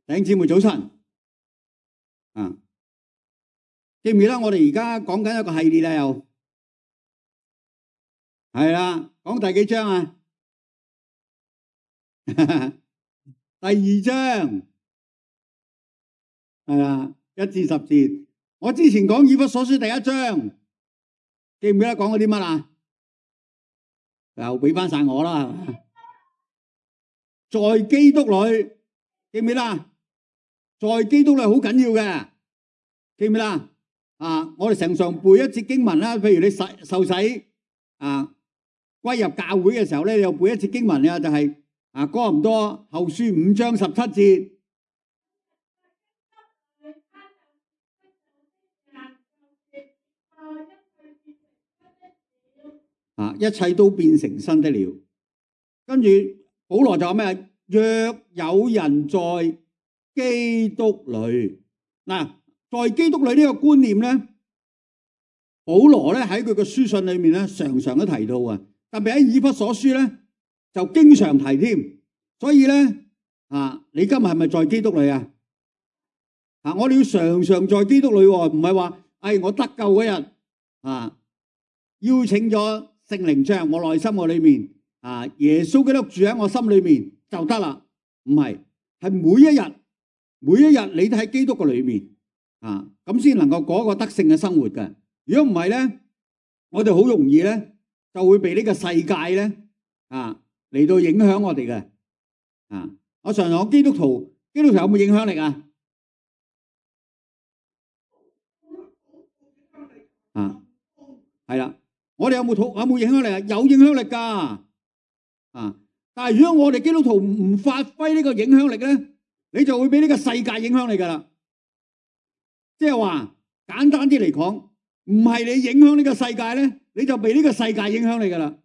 弟兄姊妹早晨啊！記唔記得我哋而家講緊一個系列啦？又係啦，講第幾章啊？第2章係啦，1至10節。我之前講以弗所書第1章，記唔記得講過啲乜啊？又俾翻晒我啦，在基督裏，記唔記得啊？在基督裏好緊要嘅，記唔記得啊？我哋成常背一節經文啦，譬如你受洗啊，歸入教會嘅時候咧，你又背一節經文啊，就係哥林多後書5章17節啊，一切都變成新的了。跟住保羅就話咩？若有人在基督裏，嗱，在基督裏呢個觀念咧，保羅咧喺佢嘅書信裏面咧，常常都提到啊，特別喺以弗所書咧就經常提添。所以咧你今日係咪在基督裏啊？我哋要常常在基督裏，唔係話我得救嗰日邀請咗聖靈進入我內心我裏面耶穌基督住喺我心裏面就得啦，唔係，係每一日你都喺基督嘅裏面咁先能夠過一個得勝嘅生活嘅。如果唔係咧，我哋好容易咧就會被呢個世界咧嚟到影響我哋嘅我常常講基督徒有冇影響力啊？係啦，我哋有冇影響力啊？有影響力噶但係如果我哋基督徒唔發揮呢個影響力咧，你就會俾呢個世界影響你噶啦。即係話簡單啲嚟講，唔係你影響呢個世界咧，你就被呢個世界影響你噶啦，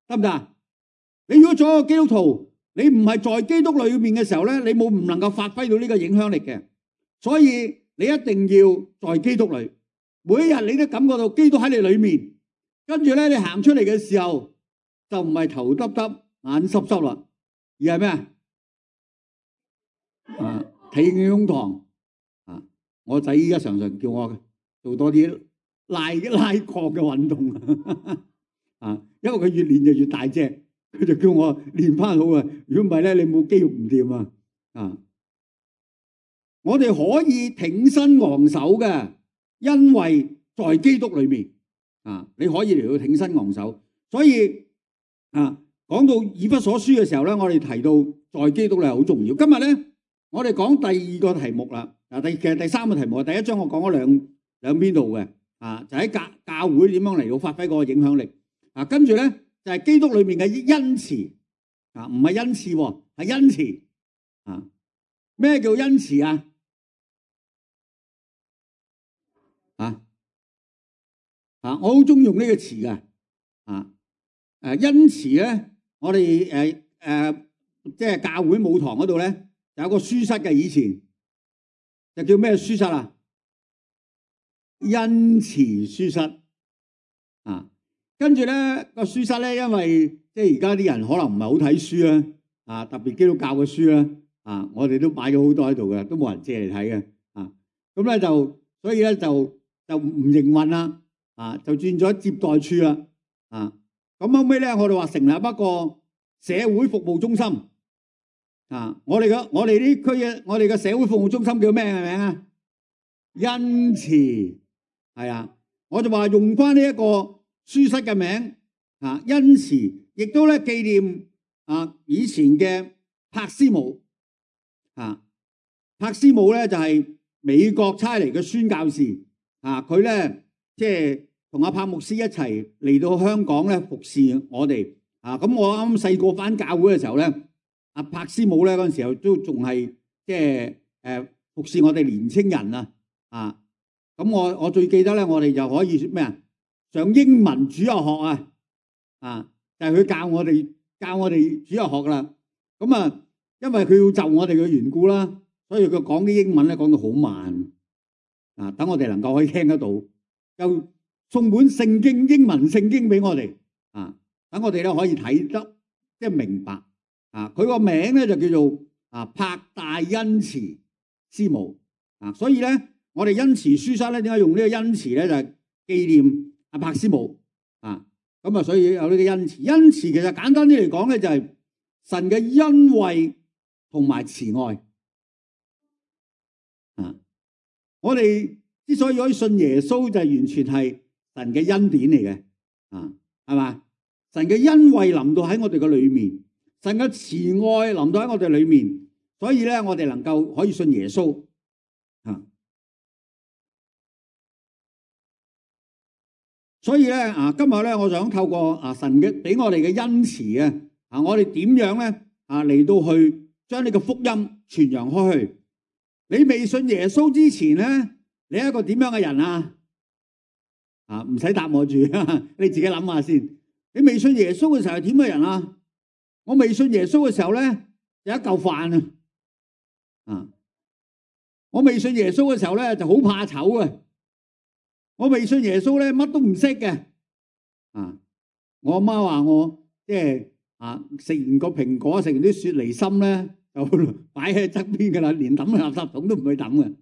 得唔得？你如果做一個基督徒，你唔係在基督裏面嘅時候咧，你唔能夠發揮到呢個影響力嘅。所以你一定要在基督裏，每一日你都感覺到基督喺你裏面，跟住咧你行出嚟嘅時候就唔係頭耷耷眼濕濕啦，而係咩挺起胸膛我仔依家常常叫我做多啲拉胯嘅運動因為佢越練就越大隻，佢就叫我練翻好啊！如果唔係咧，你冇肌肉唔掂我哋可以挺身昂首嘅，因為在基督裏面你可以嚟到挺身昂首。所以講到以弗所書嘅時候咧，我哋提到在基督裏係好重要。今日咧，我哋講第2個題目啦。其實第3個題目，第1章我講咗兩邊度嘅就喺教會點樣嚟到發揮嗰個影響力跟住咧就係基督裏面嘅恩慈唔係恩賜喎，係恩慈咩叫恩慈啊？我好中意用呢個詞嘅恩慈咧，我哋即係教會舞堂嗰度咧有個書室嘅，以前就叫咩書室啊？恩慈書室跟住咧個書室咧，因為即係而家啲人可能唔係好睇書啦特別基督教嘅書啦我哋都買咗好多喺度嘅，都冇人借嚟睇嘅咁咧就所以咧就唔營運啦就轉咗接待處啦咁後尾咧我哋話成立一個社會服務中心我哋呢區嘅我哋嘅社會服務中心叫咩名啊？恩慈係我就話用翻呢一個書室嘅名恩慈，亦都咧紀念以前嘅柏斯姆柏斯姆咧就係美國差嚟嘅宣教士佢咧即係同阿柏牧師一齊嚟到香港咧服侍我哋咁我啱細個返教會嘅時候咧，阿柏斯姆咧嗰陣時候都仲係即係服侍我哋年青人咁我最記得咧，我哋就可以咩上英文主日學就係佢教我哋主日學啦。咁因為佢要就我哋嘅緣故啦，所以佢講啲英文咧講到好慢等我哋能夠可以聽得到，又送本聖經英文聖經俾我哋等我哋咧可以睇得即係明白佢個名咧就叫做柏大恩慈師母所以咧，我哋恩慈書室咧點解用呢個恩慈咧？就係紀念阿柏師母咁所以有呢個恩慈。恩慈其實簡單啲嚟講咧，就係神嘅恩惠同埋慈愛我哋之所以可以信耶穌，就係完全係神嘅恩典嚟嘅係嘛？神嘅恩惠臨到喺我哋嘅裏面，神嘅慈愛臨到喺我哋裏面，所以咧我哋能夠可以信耶穌所以咧今日咧，我想透過神嘅俾我哋嘅恩慈我哋點樣咧嚟到去將呢個福音傳揚開去。你未信耶穌之前咧，你係一個點樣嘅人唔使答我住，你自己諗下先。你未信耶穌嘅時候係點嘅人啊？我未信耶穌嘅時候咧，有一嚿飯我未信耶穌嘅時候咧，就好怕醜嘅。我未信耶穌咧，乜都唔識嘅。我阿媽話我即係食完個蘋果，食完啲雪梨心咧，就擺喺側邊噶啦，連抌垃圾桶都唔去抌嘅。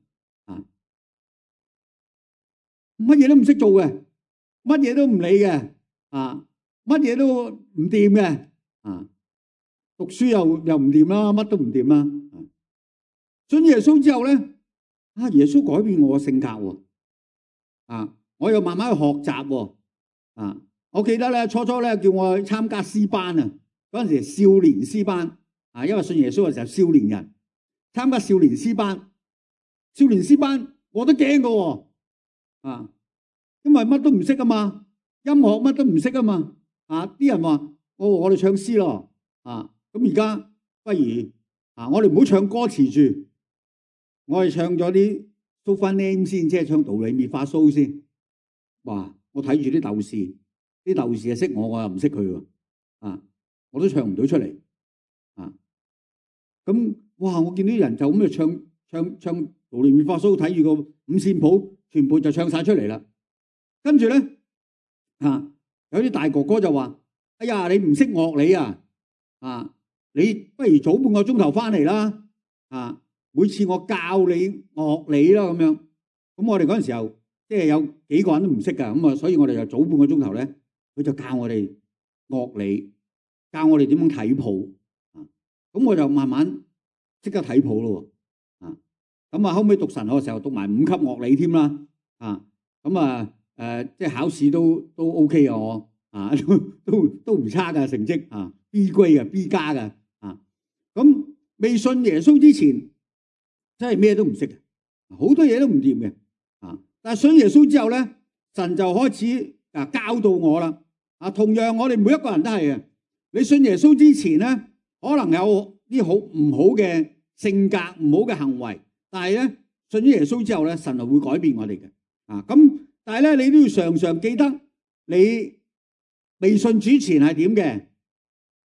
乜嘢都唔識做嘅，乜嘢都唔理嘅，乜嘢都唔掂嘅。讀書又唔掂啦，乜都唔掂啦。信耶穌之後咧，耶穌改變我嘅性格喎。我又慢慢去學習喎。我記得咧，初咧叫我去參加詩班嗰陣時少年詩班因為信耶穌嘅時候少年人參加少年詩班，少年詩班我都驚㗎喎。因為乜都唔識啊嘛，音樂乜都唔識啊嘛。啲人話我哋唱詩咯。咁而家不如我哋唔好唱歌詞住，我哋唱咗啲蘇翻 name 先，即係唱道理咪發蘇先。哇！我睇住啲鬥士係識我又唔識佢喎。我都唱唔到出嚟。咁哇！我見啲人就咁就唱道理咪發蘇，睇住個五線譜，全部就唱晒出嚟啦。跟住咧有啲大哥哥就話：哎呀，你唔識樂理你不如早半個鐘頭翻嚟啦。每次我教你樂理啦咁樣。咁我哋嗰陣時候即係有幾個人都唔識噶，咁所以我哋就早半個鐘頭咧，佢就教我哋樂理，教我哋點樣睇譜。咁我就慢慢即刻睇譜咯。咁後尾讀神學嘅時候讀埋5級樂理添啦。即係考試都 OK 啊，我都唔差噶成績B grade 嘅 B 加嘅。咁未信耶穌之前真係咩都唔識嘅，好多嘢都唔掂嘅。但係信耶穌之後咧，神就開始教導我啦。同樣我哋每一個人都係嘅。你信耶穌之前咧，可能有啲好唔好嘅性格、唔好嘅行為，但係咧信咗耶穌之後咧，神就會改變我哋嘅。咁但係咧，你都要常常記得你未信主前係點嘅，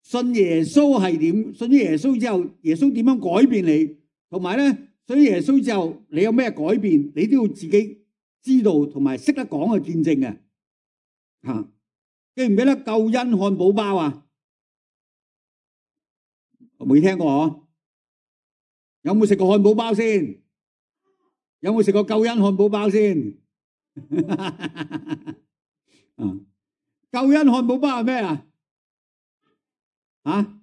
信耶穌係點，信咗耶穌之後，耶穌點樣改變你，同埋咧信咗耶穌之後你有咩改變，你都要自己知道同埋識得講嘅見證嘅。記唔記得救恩漢堡包啊？我未聽過嗬？有冇食過漢堡包先？有冇食過救恩漢堡包先？救恩漢堡包係咩啊？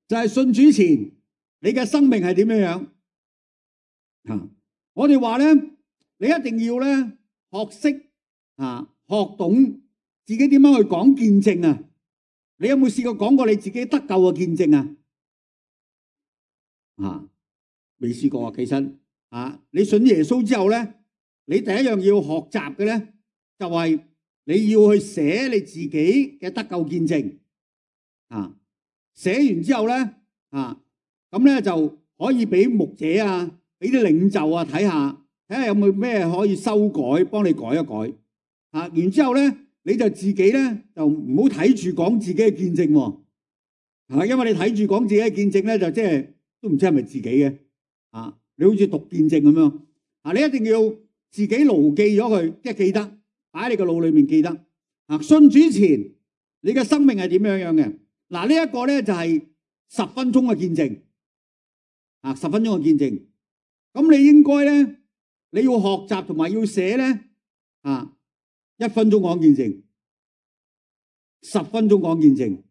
就係信主前你嘅生命係點樣樣？我哋話咧，你一定要咧學識學懂自己點樣去講見證啊！你有冇試過講過你自己得救嘅見證啊？未試過啊！其實你信耶穌之後咧，你第一樣要學習嘅咧，就係你要去寫你自己嘅得救見證。寫完之後咧，咁咧就可以俾牧者俾啲領袖睇下有冇咩可以修改，幫你改一改。然之後咧，你就自己咧就唔好睇住講自己嘅見證喎。因為你睇住講自己嘅見證咧，就即係都唔知係咪自己嘅。你好似讀見證咁樣。你一定要自己牢記咗佢，即係記得擺喺你個腦裏面記得。信主前你嘅生命係點樣嘅？嗱，呢一個咧就係10分鐘嘅見證，10分鐘嘅見證。咁你應該咧，你要學習同埋要寫咧，1分鐘講見證，10分鐘講見證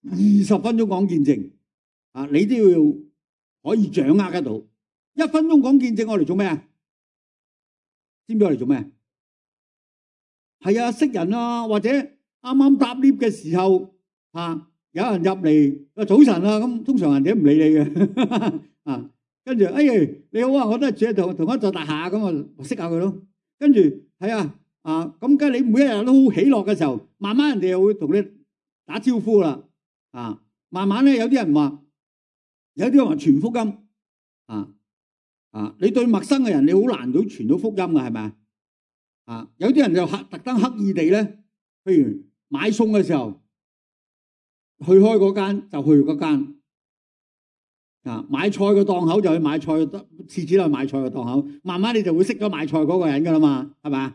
，20分鐘講見證，你都要可以掌握得到。1分鐘講見證，我嚟做咩啊？知唔知我嚟做咩？係啊，識人啊，或者啱啱搭 lift 嘅時候，有人入嚟，早晨啊，咁通常人哋都唔理你嘅，跟住你好啊，我都係住同一座大廈，咁啊識下佢咯。跟住係咁梗係你每一日都好喜樂嘅時候，慢慢人哋又會同你打招呼啦，慢慢咧有啲人話傳福音，你對陌生嘅人你好難到傳到福音嘅，係咪有啲人就特登刻意地咧，譬如買餸嘅時候，去開嗰間就去嗰間，買菜嘅檔口就去買菜，廁紙都去買菜嘅檔口，慢慢你就會識咗買菜嗰個人噶啦嘛，係咪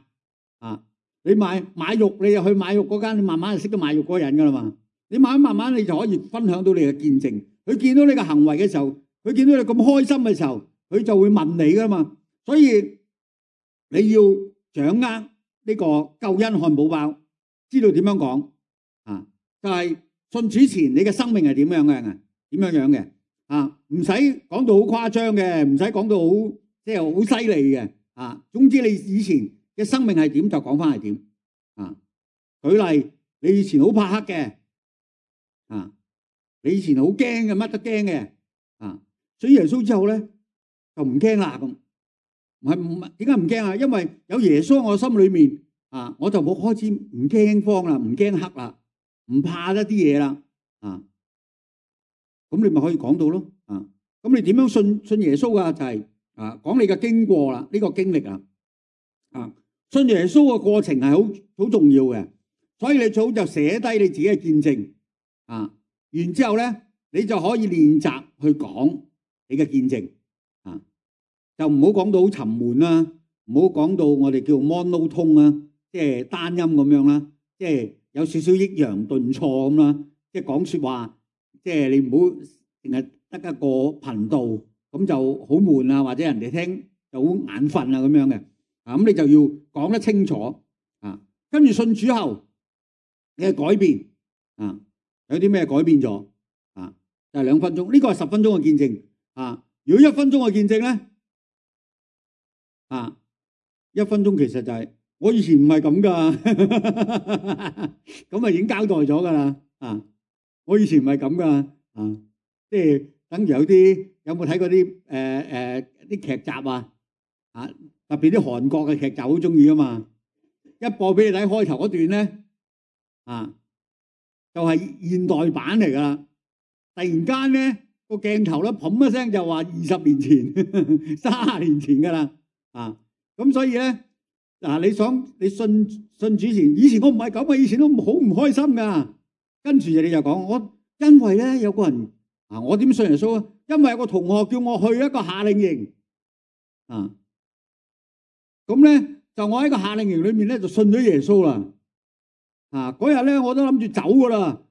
你買肉你就去買肉嗰間，你慢慢就識咗買肉嗰個人噶啦嘛。你慢慢你就可以分享到你嘅見證。佢見到你嘅行為嘅時候，佢見到你咁開心嘅時候，佢就會問你噶嘛。所以你要掌握呢個救恩漢堡包，知道點樣講就係信主前你嘅生命係點樣嘅？點樣嘅唔使講到好誇張嘅，唔使講到好即係好犀利嘅總之你以前嘅生命係點就講翻係點舉例，你以前好怕黑嘅你以前好驚嘅，乜都驚嘅所以耶穌之後咧就唔驚啦咁。唔係點解唔驚啊？因為有耶穌喺我心裏面我就冇開始唔驚慌啦，唔驚黑啦，唔怕一啲嘢啦咁你咪可以講到咯咁你點樣信耶穌啊？就係講你嘅經過啦，呢個經歷信耶穌嘅過程係好重要嘅，所以你最好就寫低你自己嘅見證然之後咧你就可以練習去講你嘅見證就唔好講到好沉悶啦，唔好講到我哋叫 monotone 啦，即係單音咁樣啦，即係有少少抑揚頓挫咁啦，即係講說話，即係你唔好淨係得一個頻道，咁就好悶啊，或者人哋聽就好眼瞓啊咁樣嘅咁你就要講得清楚跟住信主後你嘅改變有啲咩改變咗就係2分鐘，呢個係10分鐘嘅見證如果1分鐘嘅見證咧1分鐘其實就係我以前唔係咁噶，咁已經交代咗噶啦我以前唔係咁噶即係等於有冇睇過啲啲劇集特別啲韓國嘅劇集好中意噶嘛，一播俾你睇開頭嗰段咧就係現代版嚟噶啦，突然間咧個鏡頭咧砰一聲就話20年前30年前噶啦咁所以咧你信主前，以前我唔係咁啊，以前都好唔開心噶。跟住你就講因為咧有個人我點信耶穌啊？因為有個同學叫我去一個夏令營咁咧就我喺個夏令營裏面咧就信咗耶穌啦嗰日咧我都諗住走噶啦，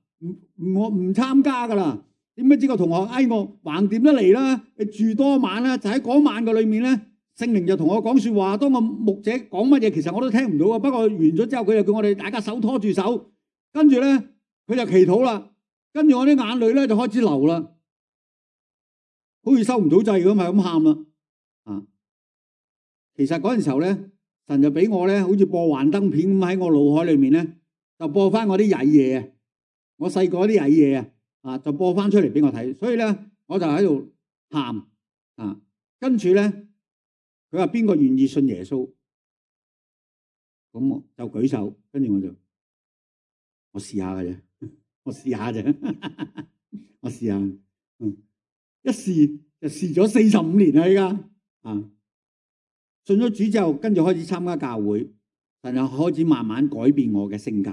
我唔參加噶啦。點解知個同學我橫掂得嚟啦？你住多晚啦，就喺嗰晚嘅裏面咧。聖靈就同我講說話，當個牧者講乜嘢，其實我都聽唔到啊。不過完咗之後，佢就叫我哋大家手拖住手，跟住咧佢就祈禱啦，跟住我啲眼淚咧就開始流啦，好似收唔到掣咁，係咁喊啦其實嗰陣時候咧，神就俾我咧，好似播幻燈片咁喺我腦海裏面咧，就播翻我啲曳嘢我細個啲曳嘢就播翻出嚟俾我睇，所以咧我就喺度喊跟住咧。佢話邊個願意信耶穌？咁我就舉手，跟住我試下嘅啫，我試下啫，我試下，一試就試咗45年啦，依家信咗主之後，跟住開始參加教會，神就開始慢慢改變我嘅性格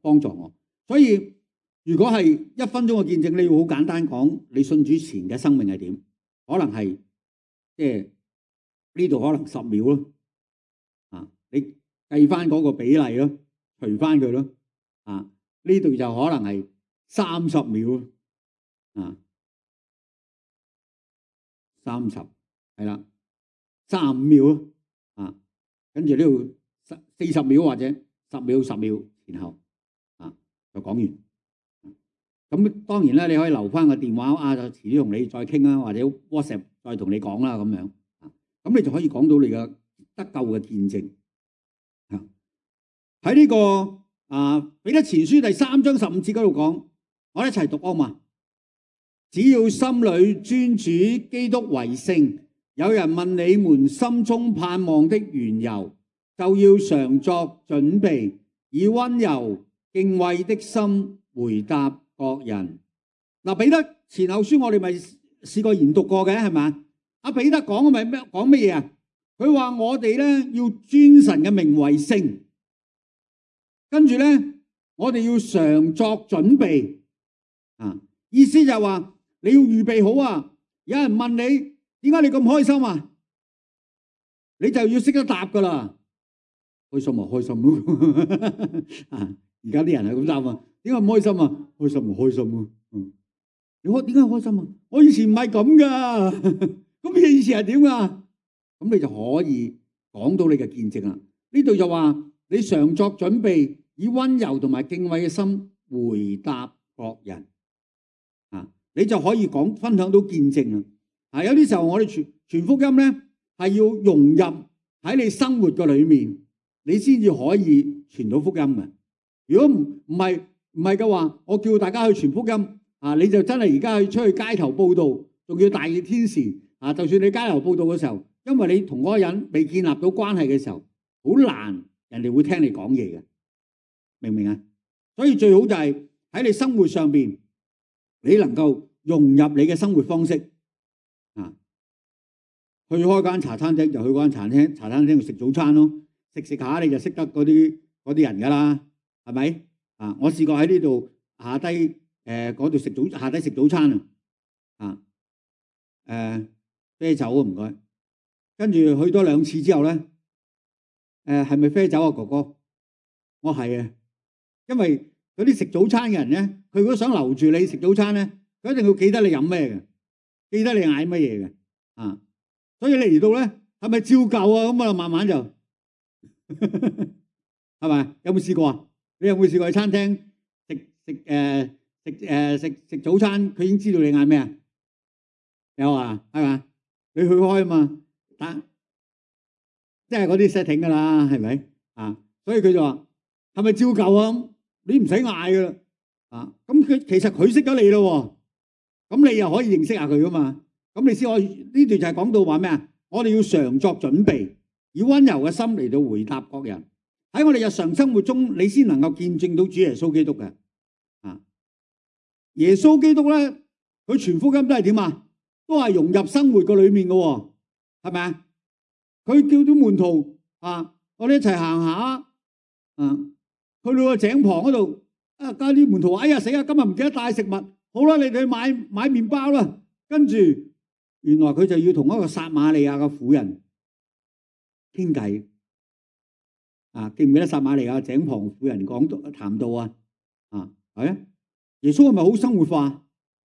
幫助我。所以如果係1分鐘嘅見證，你要好簡單講，你信主前嘅生命係點？可能係即係。呢度可能10秒咯，你計翻嗰個比例咯，除翻佢咯。呢度就可能係30秒30係啦，35秒咯。跟住呢度40秒或者10秒前後就講完。咁當然咧，你可以留翻個電話就遲啲同你再傾啦，或者 WhatsApp 再同你講啦咁樣。咁你就可以講到你嘅得救嘅見證。喺呢個彼得前書第3章15節嗰度講，我哋一齊讀啊嘛。只要心裏尊主基督為聖，有人問你們心中盼望的緣由，就要常作準備，以溫柔敬畏的心回答各人。彼得前後書我哋咪試過研讀過嘅係咪？彼得講咪講乜嘢啊？佢話我哋咧要尊神嘅名為聖，跟住咧我哋要常作準備。意思就係話你要預備好啊！有人問你點解你咁開心啊？你就要識得答噶啦。開心啊，開心咯！而家啲人係咁答啊，點解唔開心啊？開心啊，開心啊！你點解開心啊？我以前唔係咁噶，咁你以前係點啊？咁你就可以講到你嘅見證啦。呢度就話你常作準備，以溫柔同埋敬畏嘅心回答各人。你就可以分享到見證啦。有啲時候我哋傳福音咧，係要融入喺你生活嘅裏面，你先至可以傳到福音嘅。如果唔係嘅話，我叫大家去傳福音你就真係而家去出去街頭報道，仲要大熱天時就算你街頭報道嘅時候，因為你同嗰個人未建立到關係嘅時候，好難人哋會聽你講嘢嘅，明唔明啊？所以最好就係喺你生活上邊，你能夠融入你嘅生活方式去開間茶餐廳就去嗰間茶餐廳度食早餐咯，食下你就識得嗰啲人噶啦，係咪我試過喺呢度下低嗰度下低食早餐啤酒唔該，跟住去多2次之後咧，係咪啤酒啊哥哥？我係啊，因為嗰啲食早餐嘅人咧，佢如果想留住你食早餐咧，佢一定要記得你飲咩嘅，記得你嗌乜嘢嘅所以你嚟到咧，係咪照舊啊？咁慢慢就係咪？有冇試過啊？你有冇試過去餐廳食早餐？佢已經知道你嗌咩啊？有啊，係嘛？你去開啊嘛，即係嗰啲 setting 噶啦，係咪所以佢就話係咪照舊啊？你唔使嗌噶啦咁其實佢識咗你咯，咁你又可以認識下佢噶嘛？咁你先可以呢段就係講到話咩啊？我哋要常作準備，以溫柔嘅心嚟到回答各人。喺我哋日常生活中，你先能夠見證到主耶穌基督嘅耶穌基督咧，佢傳福音都係點啊？都係融入生活嘅裏面嘅，係咪啊？佢叫啲門徒我哋一齊行下去到個井旁嗰度加啲門徒話：哎呀死啊！今日唔記得帶食物，好啦，你哋去買麵包啦。跟住原來佢就要同一個撒瑪利亞嘅婦人傾偈記唔記得撒瑪利亞井旁婦人談到啊？係啊，耶穌係咪好生活化？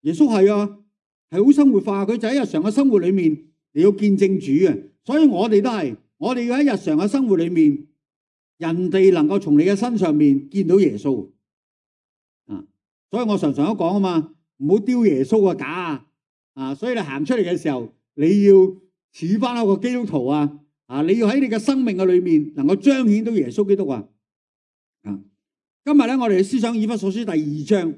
耶穌係好生活化，佢就喺日常嘅生活裏面你要見證主嘅。所以我哋都係，我哋要喺日常嘅生活裏面，人哋能夠從你嘅身上面見到耶穌所以我常常都講啊嘛，唔好丟耶穌嘅架所以你行出嚟嘅時候，你要似翻一個基督徒你要喺你嘅生命嘅裏面能夠彰顯到耶穌基督今日咧，我哋思想以弗所書第2章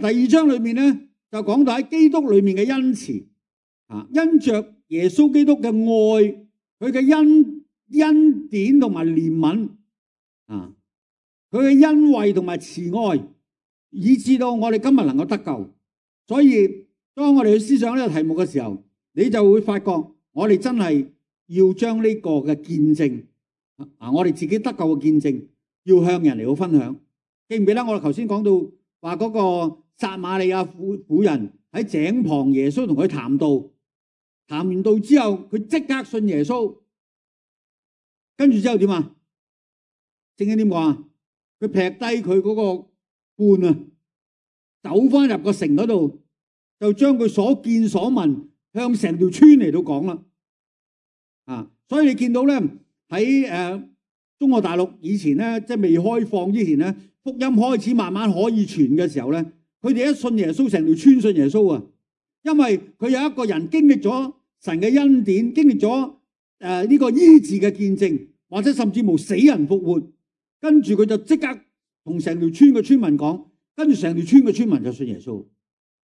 第2章裏面咧就講到喺基督裏面嘅恩慈因着耶穌基督嘅愛，佢嘅恩典同埋憐憫佢嘅恩惠同埋慈愛，以致到我哋今日能夠得救。所以當我哋去思想呢個題目嘅時候，你就會發覺我哋真係要將呢個嘅見證我哋自己得救嘅見證要向人嚟到分享。記唔記得我哋頭先講到話嗰個撒瑪利亞婦人喺井旁，耶穌同佢談道，談完道之後佢即刻信耶穌，跟住之後點啊？聖經點講啊？佢劈低佢嗰個罐啊，走翻入個城嗰度，就將佢所見所聞向成條村嚟到講啦。啊，所以你見到咧喺中國大陸以前咧，即係未開放之前咧，福音開始慢慢可以傳嘅時候咧，佢哋一信耶穌，成條村信耶穌啊！因為佢有一個人經歷咗神嘅恩典，經歷咗呢個醫治嘅見證，或者甚至乎死人復活，跟住佢就即刻同成條村嘅村民講，跟住成條村嘅村民就信耶穌。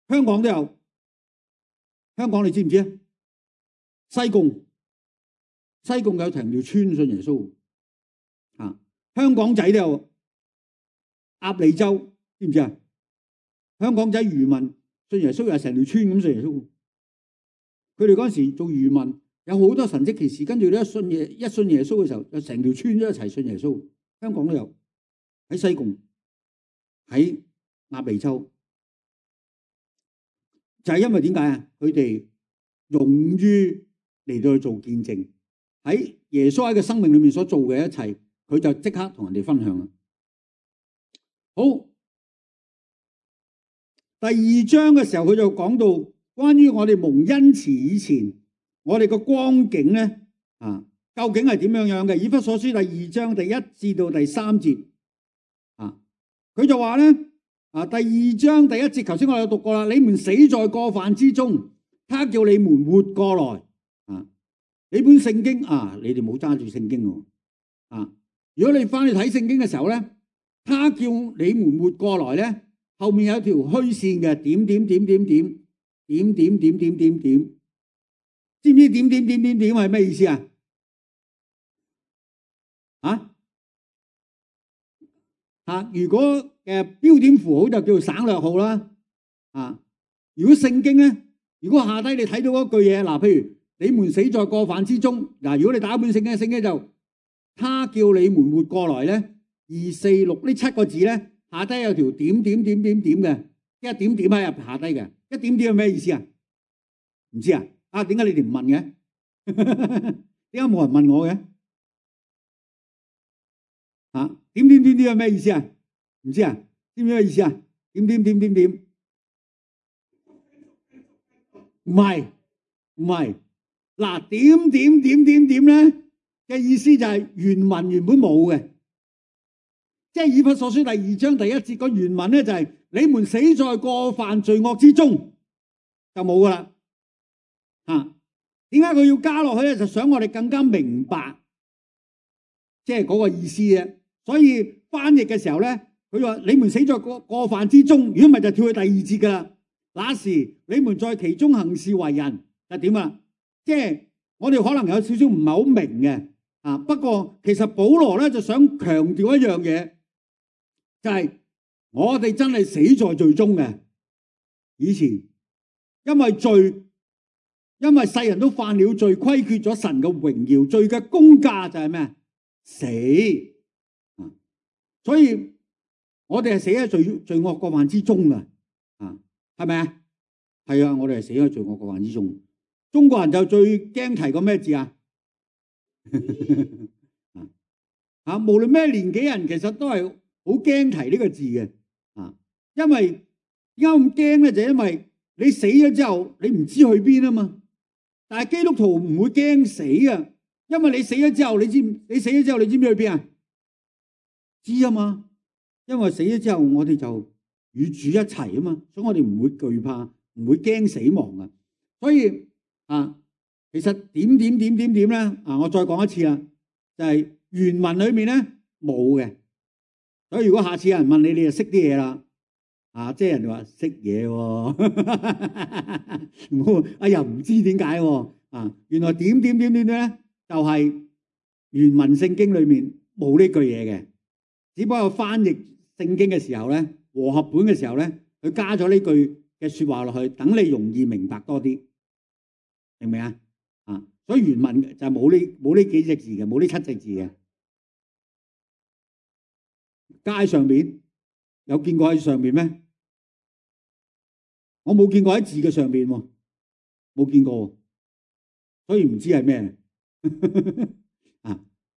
香港都有，香港你知唔知啊？西貢有成條村信耶穌啊！香港仔都有，鴨脷洲知唔知啊？香港仔漁民信耶穌又係成條村咁信耶穌。佢哋嗰陣時做漁民，有好多神蹟奇事，跟住咧一信耶穌嘅時候，就成條村都一齊信耶穌。香港都有，喺西貢，喺鴨脷洲，就係因為點解啊？佢哋勇於嚟到去做見證，喺耶穌喺個生命裏面所做嘅一切，佢就即刻同人哋分享啦。好，第二章嘅時候，佢就講到關於我哋蒙恩慈以前，我哋個光景咧究竟係點樣樣嘅？以弗所書第二章第1至到第3節佢就話咧第二章第1節，頭先我有讀過啦。你們死在過犯之中，他叫你們活過來。你本聖經你哋冇揸住聖經喎如果你翻去睇聖經嘅時候咧，他叫你們活過來咧，後面有一條虛線嘅點點點點點點點點點點點，知唔知點點點點點係咩意思啊？如果標點符號就叫做省略號啦。如果聖經咧，如果下低你睇到嗰句嘢，譬如你們死在過犯之中，如果你打一本聖經就他叫你們活過來咧，2、4、6呢7個字咧，下低有條點點點點點嘅，一點點喺入下低嘅，一點點係咩意思啊？唔知啊？點解你哋唔問嘅？點解冇人問我嘅？點點點點係咩意思啊？唔知啊？知唔知咩意思啊？點點點點點，唔係，點點點點點咧嘅意思就係原文原本冇嘅，即係以弗所書第2章第1節個原文咧就係你們死在過犯罪惡之中，就冇噶啦。點解佢要加落去咧？就想我哋更加明白，即係嗰個意思啫。所以翻譯嘅時候咧，佢話你們死在過犯之中，如果唔係就跳去第2節噶啦。那時你們在其中行事為人就點啊？即係我哋可能有少少唔係好明嘅不過其實保羅咧就想強調一樣嘢，就係我哋真係死在罪中嘅。以前因為世人都犯了罪，虧缺咗神嘅榮耀，罪嘅工價就係咩？死。所以我哋係死喺罪惡過犯之中嘅，係咪啊？係啊，我哋係死喺罪惡過犯之中。中國人就最驚提個咩字啊？無論咩年紀人，其實都係好驚提呢個字嘅。因為點解咁驚咧？就因為你死咗之後，你唔知去邊啊嘛。但係基督徒唔會驚死啊，因為你死咗之後，你知唔知去邊啊？知啊嘛，因為死咗之後，我哋就與主一齊啊嘛，所以我哋唔會懼怕，唔會驚死亡啊。所以其實點點點點點咧我再講一次啦，就係原文裏面咧冇嘅。所以如果下次有人問你，你就識啲嘢啦。即係人哋話識嘢喎，又唔知點解喎。原來點點點點咧，就係原文聖經裏面冇呢句嘢嘅，只不過翻譯聖經嘅時候咧，和合本嘅時候咧，佢加咗呢句嘅說話落去，等你容易明白多啲，明唔明啊？所以原文就冇呢幾隻字嘅，冇呢7隻字嘅。街上面有見過喺上面咩？我冇見過喺字嘅上面喎，冇見過，所以唔知係咩。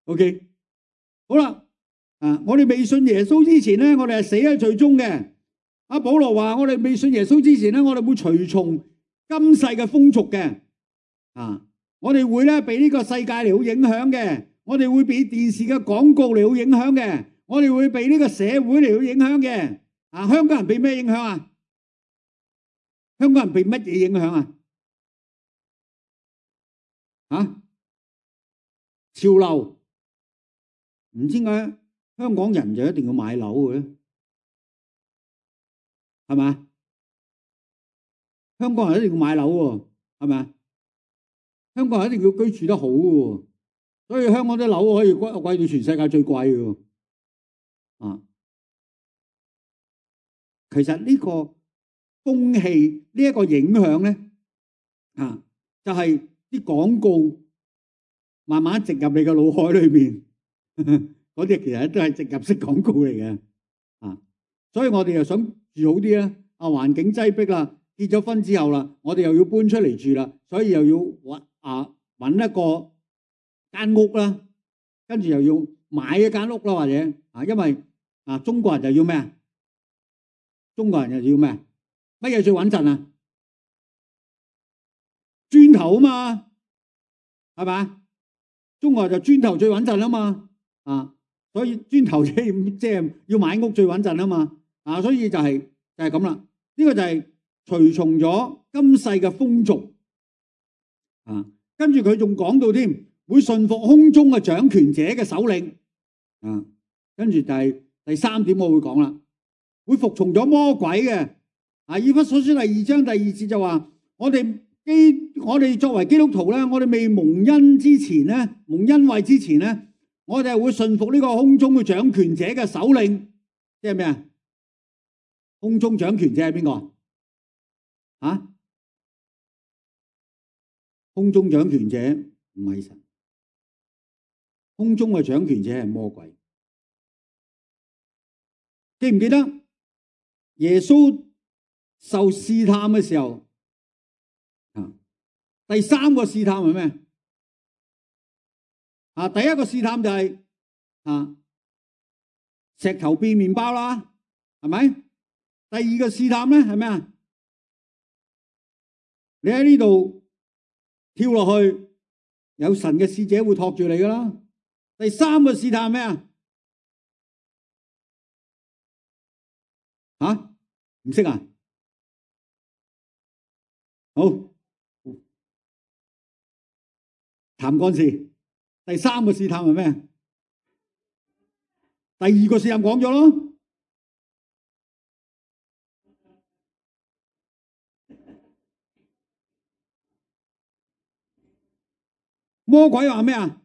OK， 好啦，我哋未信耶穌之前咧，我哋係死喺罪中嘅。阿保羅話：我哋未信耶穌之前咧，我哋會隨從今世嘅風俗嘅。我哋會咧被呢個世界嚟好影響嘅，我哋會被電視嘅廣告嚟好影響嘅，我哋會被呢個社會嚟好影響嘅。香港人被咩影響啊？香港人被乜嘢影響啊？潮流，唔知點解香港人就一定要買樓嘅，係咪？香港人一定要買樓喎，係咪？香港人一定要居住得好嘅，所以香港啲樓可以貴到全世界最貴嘅。其實呢個風氣呢一個影響咧，就係啲廣告慢慢植入你嘅腦海裏面，嗰啲其實都係植入式廣告嚟嘅。所以我哋又想住好啲咧，環境擠迫啦，結咗婚之後啦，我哋又要搬出嚟住啦，所以又要搵一個間屋啦，跟住又要買一間屋啦，或者因為中國人就要咩啊？中國人又要咩？乜嘢最穩陣啊？磚頭啊嘛，係咪？中國人就磚頭最穩陣啊嘛，所以磚頭即係要買屋最穩陣啊嘛，所以就係咁啦。呢個就係隨從咗今世嘅風俗，跟住佢仲講到添，會順服空中嘅掌權者嘅首領，跟住第三點我會講啦，會服從咗魔鬼嘅。以弗所書第2章第2節就話，我哋作為基督徒咧，我哋未蒙恩之前咧，蒙恩惠之前咧，我哋係會順服呢個空中嘅掌權者嘅首領，即係咩啊？空中掌權者係邊個？空中掌權者唔係神，空中嘅掌權者係魔鬼。記唔記得耶穌受試探嘅時候，第三個試探係咩？第一個試探就係石頭變麵包啦，係咪？第二個試探咧係咩啊？你喺呢度跳落去，有神嘅使者會托住你噶啦。第三個試探係咩啊？唔識啊？好，談幹事。第三個試探係咩？第二個試探講咗咯。魔鬼話咩啊？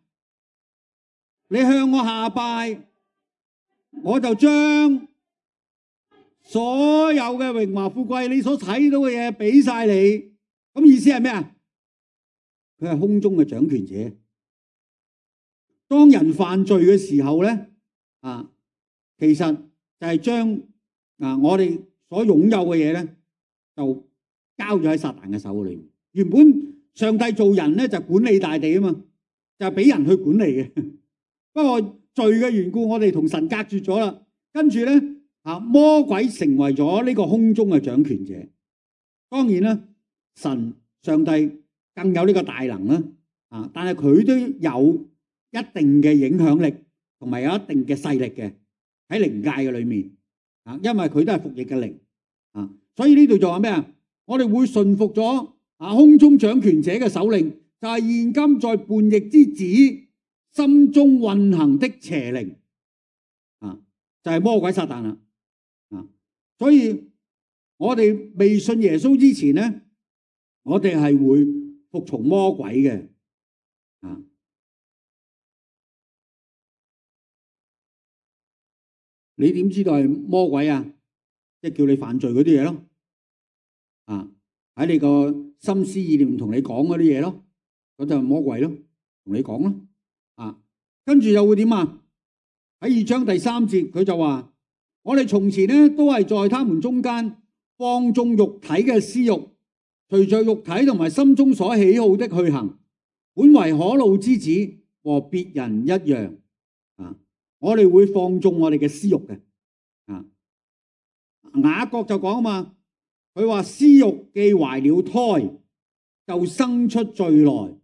你向我下拜，我就將所有嘅榮華富貴，你所睇到嘅嘢俾晒你。咁意思係咩啊？佢係空中嘅掌權者。當人犯罪嘅時候咧，其實就係將我哋所擁有嘅嘢咧，就交咗喺撒旦嘅手裏面。原本上帝做人咧就管理大地啊嘛，就係俾人去管理嘅。不過罪嘅緣故，我哋同神隔絕咗啦。跟住咧，魔鬼成為咗呢個空中嘅掌權者。當然啦，上帝更有呢個大能啦，但係佢都有一定嘅影響力，同埋有一定嘅勢力嘅喺靈界嘅裏面，因為佢都係服役嘅靈，所以呢度就話咩啊？我哋會順服咗空中掌權者嘅首領，就係現今在叛逆之子心中運行的邪靈，就係魔鬼撒旦啦。所以我哋未信耶穌之前咧，我哋係會服從魔鬼嘅。你點知道係魔鬼啊？即係叫你犯罪嗰啲嘢咯。喺你個心思意念同你講嗰啲嘢咯，嗰就係魔鬼咯，同你講咯。跟住又會點啊？喺2章第3節，佢就話：我哋從前咧都係在他們中間放縱肉體嘅私欲，隨着肉體同埋心中所喜好的去行，本為可怒之子，和別人一樣。我哋會放縱我哋嘅私欲嘅。雅各就講啊嘛，佢話私欲既懷了胎，就生出罪來；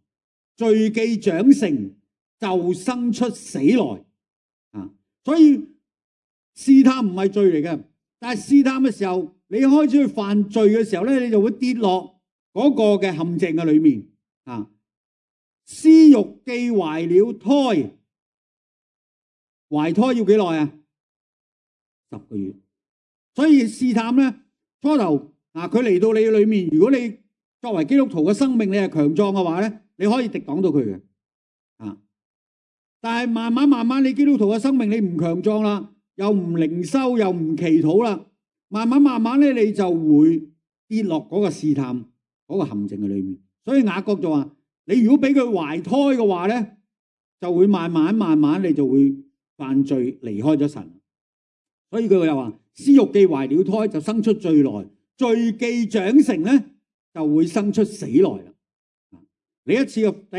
罪既長成，就生出死來。所以試探唔係罪嚟嘅，但係試探嘅時候，你開始去犯罪嘅時候咧，你就會跌落嗰個嘅陷阱嘅裏面。私欲既懷了胎，懷胎要幾耐啊？10個月。所以試探咧，初頭佢嚟到你裏面，如果你作為基督徒嘅生命你係強壯嘅話咧，你可以敵擋到佢嘅。但係慢慢你基督徒嘅生命你唔強壯啦，又唔靈修，又唔祈禱啦，慢慢咧你就會跌落嗰個試探嗰個陷阱嘅裏面。所以雅各就話：你如果俾佢懷胎嘅話咧，就會慢慢你就會犯罪離開咗神。所以佢又話：私欲既懷了胎，就生出罪來；罪既長成咧，就會生出死來啦。你第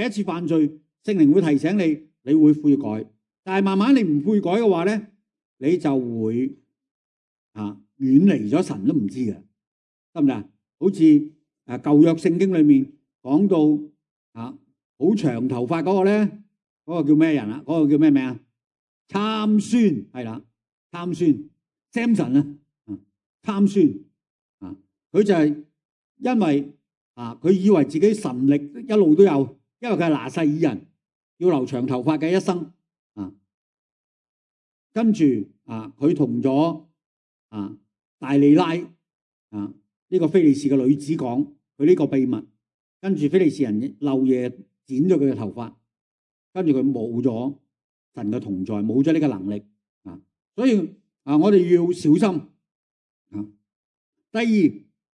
一次犯罪，聖靈會提醒你，你會悔改。但係慢慢你唔悔改嘅話咧，你就會遠離咗神都唔知嘅，得唔得？好似舊約聖經裏面講到好長頭髮嗰個咧，嗰個叫咩人啊？嗰個叫咩名啊？參孫，係啦，參孫 Samson 啊，參孫佢就係因為佢以為自己神力一路都有，因為佢係拿細耳人，要留長頭髮嘅一生跟住佢同咗大利拉呢個非利士嘅女子講佢呢個秘密，跟住非利士人漏夜剪咗佢嘅頭髮，跟住佢冇咗神嘅同在，冇咗呢個能力所以我哋要小心第二，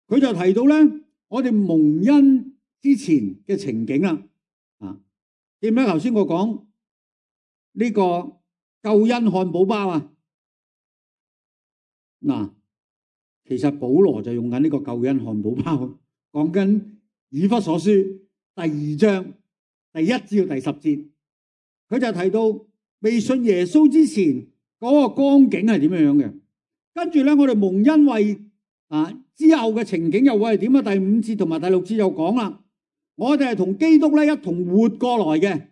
佢就提到咧，我哋蒙恩之前嘅情景啦記唔記得頭先我講呢個救恩漢堡包其實保羅就用緊呢個救恩漢堡包，講緊以弗所書第2章第1至到第10節，佢就提到未信耶穌之前嗰個光景係點樣嘅，跟住咧我哋蒙恩惠之後嘅情景又會係點啊？第5節同埋第6節又講啦，我哋係同基督咧一同活過來嘅。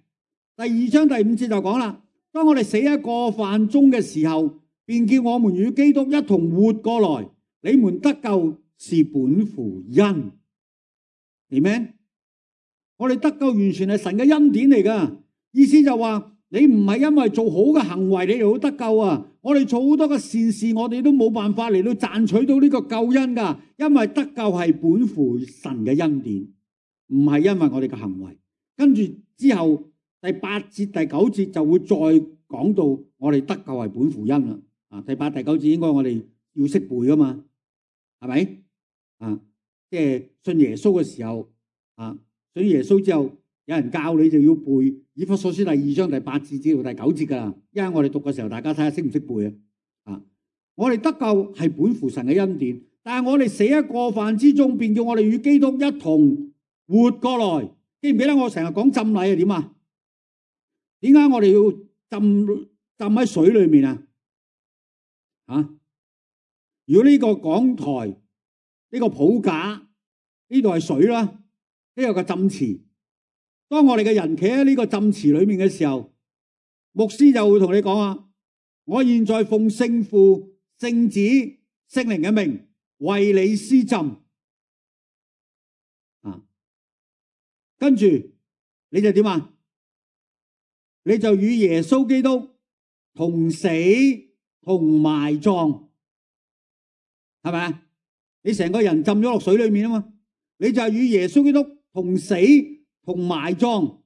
第2章第5節就講啦，當我哋死喺過犯中嘅時候，便叫我們與基督一同活過來。你們得救是本乎恩，明咩？我哋得救完全係神嘅恩典嚟噶，意思就話你唔係因為做好嘅行為你就得救啊！我哋做好多嘅善事，我哋都冇辦法嚟到賺取到呢個救恩噶，因為得救係本乎神嘅恩典，唔係因為我哋嘅行為。跟住之後第8節第9節就會再講到我哋得救係本乎恩啦。第8第9節應該我哋要識背噶嘛，係咪？即係信耶穌嘅時候信耶穌之後，有人教你就要背以弗所書第2章第8節至到第9節噶啦。因為我哋讀嘅時候，大家睇下識唔識背我哋得救係本乎神嘅恩典，但係我哋死喺過犯之中，便叫我哋與基督一同活過來。記唔記得我成日講浸禮係點啊？點解我哋要浸喺水裏面如果呢個講台呢個譜架呢度係水啦，呢個個浸池，當我哋嘅人企喺呢個浸池裏面嘅時候，牧師就會同你講我現在奉聖父、聖子、聖靈嘅名為你施浸跟住你就點你就與耶穌基督同死同埋葬，係咪？你成個人浸咗落水裏面嘛，你就係與耶穌基督同死同埋葬，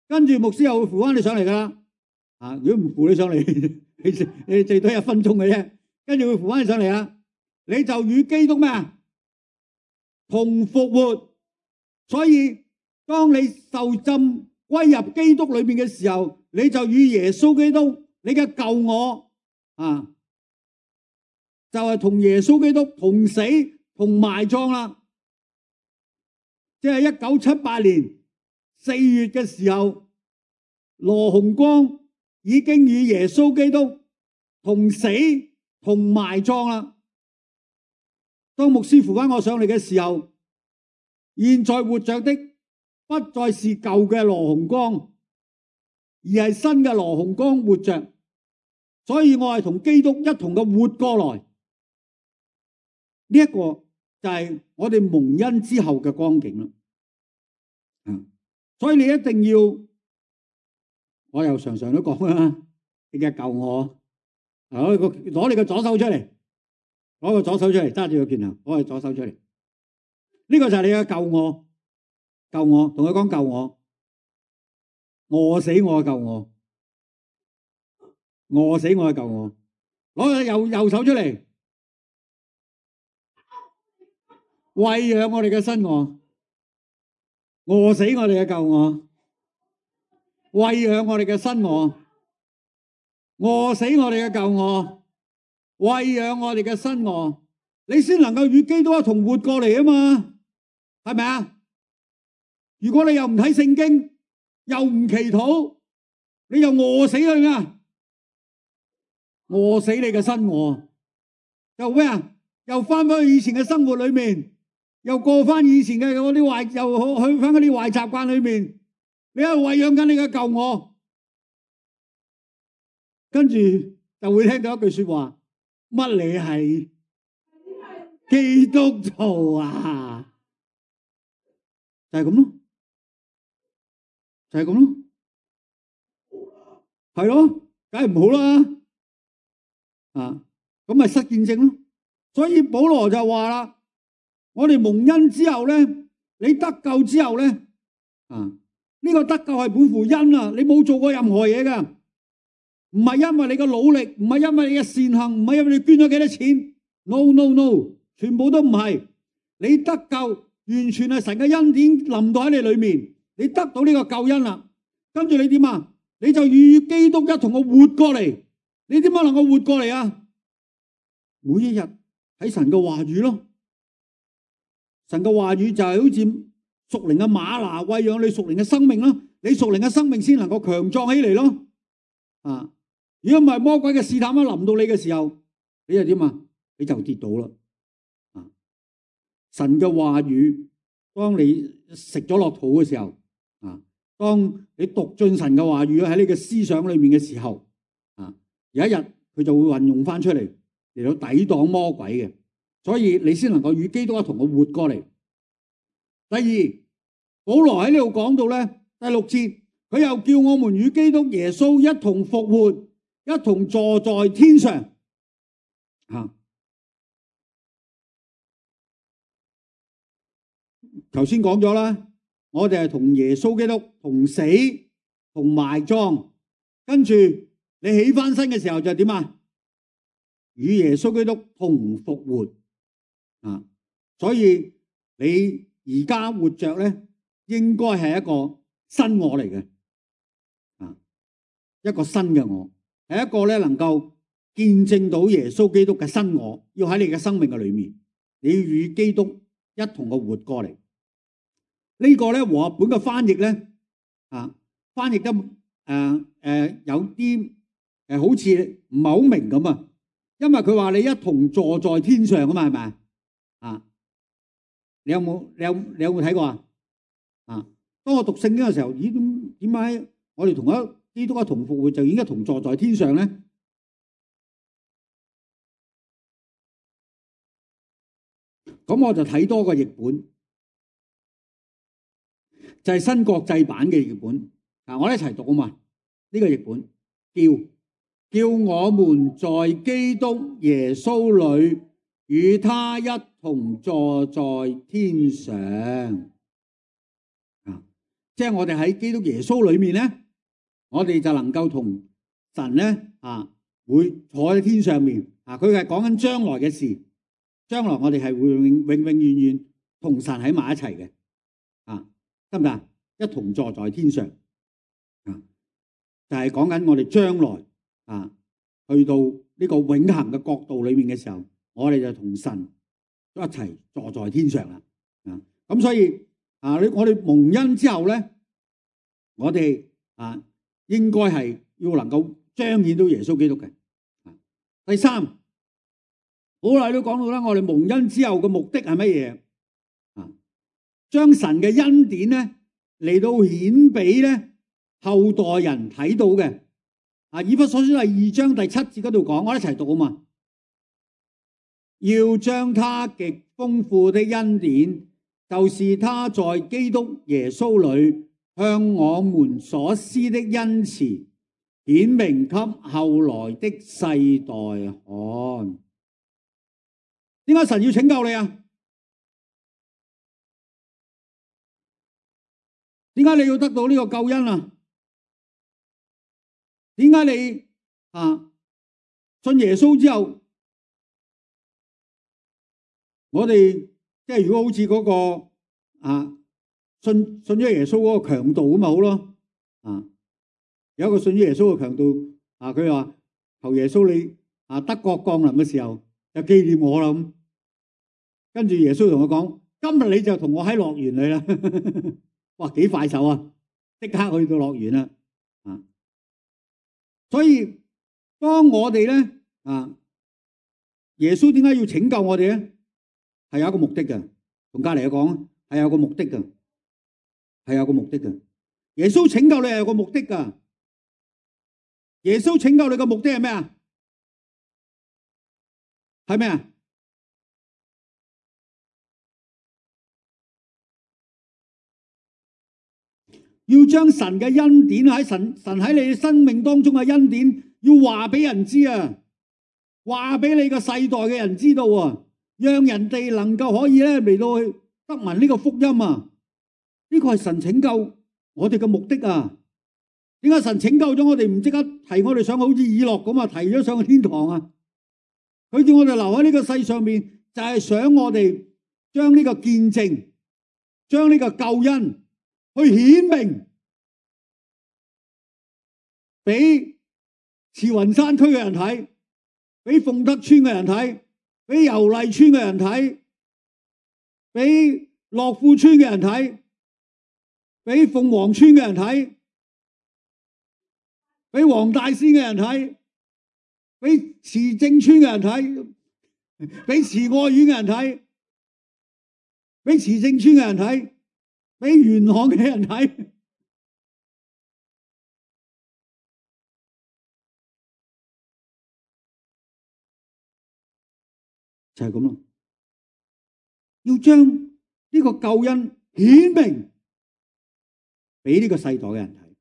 跟住牧師又會扶翻你上嚟噶啦。如果唔扶你上嚟，你最多1分鐘嘅啫，跟住會扶翻你上嚟啦。你就與基督咩同復活。所以當你受浸歸入基督裏面嘅時候，你就與耶穌基督你嘅舊我就係同耶穌基督同死同埋葬啦。即係1978年4月嘅時候，羅洪光已經與耶穌基督同死同埋葬啦。當牧師扶翻我上嚟嘅時候，現在活着的不再是舊嘅羅洪光，而係新嘅羅洪光活着，所以我係同基督一同嘅活過來。呢一個就係我哋蒙恩之後嘅光景啦。所以你一定要，我又常常都講啦，你嘅救我，攞你個左手出嚟，攞個左手出嚟，揸住個拳頭，攞個左手出嚟。呢個就係你嘅救我，救我，同佢講救我，餓死我嘅救我，餓死我嘅救我。攞個右手出嚟，餵養我哋嘅新我，餓死我哋嘅舊我，餵養我哋嘅新我，餓死我哋嘅舊我，餵養我哋嘅新我，你先能夠與基督一同活過嚟啊嘛，係咪啊？如果你又唔睇聖經，又唔祈禱，你又餓死佢啊！餓死你嘅新我，又咩啊？又翻返去以前嘅生活裏面。又過翻以前嘅嗰啲壞，又去翻嗰啲壞習慣裏面，你喺度餵養緊你嘅舊我，跟住就會聽到一句說話：乜你係基督徒啊？就係咁咯，就係咁咯，係咯，梗係唔好啦，咁咪失見證咯。所以保羅就話啦。我哋蒙恩之後咧，你得救之後咧，呢個得救係本乎恩啊！你冇做過任何嘢噶，唔係因為你嘅努力，唔係因為你嘅善行，唔係因為你捐咗幾多錢 ，no no no， 全部都唔係。你得救完全係神嘅恩典臨到喺你裏面，你得到呢個救恩啦。跟住你點啊？你就與基督一同嘅活過嚟。你點樣能夠活過嚟啊？每一日睇神嘅話語咯。神嘅話語就係好似屬靈嘅嗎哪，餵養你屬靈嘅生命咯。你屬靈嘅生命先能夠強壯起嚟咯。如果唔係魔鬼嘅試探一臨到你嘅時候，你就點啊？你就跌倒啦。神嘅話語，當你食咗落肚嘅時候，當你讀進神嘅話語喺你嘅思想裏面嘅時候，有一日佢就會運用翻出嚟嚟到抵擋魔鬼嘅。所以你先能夠與基督一同嘅活過嚟。第二，保羅喺呢度講到咧，第6節，佢又叫我們與基督耶穌一同復活，一同坐在天上。頭先講咗啦，我哋係同耶穌基督同死同埋葬，跟住你起翻身嘅時候就點啊？與耶穌基督同復活。所以你而家活着咧，應該係一個新我嚟嘅，一個新嘅我，係一個咧能夠見證到耶穌基督嘅新我，要喺你嘅生命嘅裏面，你要與基督一同嘅活過嚟。呢個咧和合本嘅翻譯咧，翻譯得有啲好似唔係好明咁啊，因為佢話你一同坐在天上啊嘛，係咪？你有冇睇過啊？當我讀聖經嘅時候，咦，點解我哋同基督一同復活就已經同坐在天上咧？咁我就睇多個譯本，就係新國際版嘅譯本。我哋一齊讀啊嘛。呢個譯本叫我們在基督耶穌裏與他一同坐在天上。即係我哋喺基督耶穌裏面咧，我哋就能夠同神咧會坐喺天上面。佢係講緊將來嘅事，將來我哋係會永遠同神喺埋一齊嘅。得唔得？一同坐在天上。就係講緊我哋將來去到呢個永恆嘅國度裏面嘅時候，我哋就同神一齊坐在天上啦。咁所以我哋蒙恩之後咧，我哋應該係要能夠彰顯到耶穌基督嘅。第三，好耐都講到啦，我哋蒙恩之後嘅目的係乜嘢？將神嘅恩典咧嚟到顯俾咧後代人睇到嘅。以弗所書第2章第7節嗰度講，我一齊讀啊嘛。要將他極豐富的恩典，就是他在基督耶穌裏向我們所施的恩慈，顯明給後來的世代看。點解神要拯救你啊？點解你要得到呢個救恩啊？點解你信耶穌之後，我哋即係如果好似嗰個信咗耶穌嗰個強盜咁咪好咯？有一個信咗耶穌嘅強盜佢話求耶穌你德國降臨嘅時候就紀念我啦咁。跟住耶穌同我講：今日你就同我喺樂園裏啦。哇，幾快手啊！即刻去到樂園啦。所以當我哋咧耶穌點解要拯救我哋咧？係有一個目的嘅。同隔籬講係有個目的嘅，係有個目的嘅。耶穌拯救你係有個目的噶。耶穌拯救你嘅目的係咩啊？係咩啊？要將神嘅恩典喺神喺你嘅生命當中嘅恩典，要話俾人知啊，話俾你個世代嘅人知道啊，讓人哋能夠可以咧嚟到去得聞呢個福音啊。呢個係神拯救我哋嘅目的啊。點解神拯救咗我哋唔即刻提我哋上好似以諾咁啊，提咗上去天堂啊？佢叫我哋留喺呢個世上面，就係想我哋將呢個見證，將呢個救恩去顯明俾慈雲山區嘅人睇，俾鳳德村嘅人睇，俾油麗村嘅人睇，俾樂富村嘅人睇，俾鳳凰村嘅人睇，俾黃大仙嘅人睇，俾慈正村嘅人睇，俾慈愛苑嘅人睇，俾慈正村嘅人睇，俾元朗嘅人睇。就係咁咯，要將呢個救恩顯明俾呢個世代嘅人睇，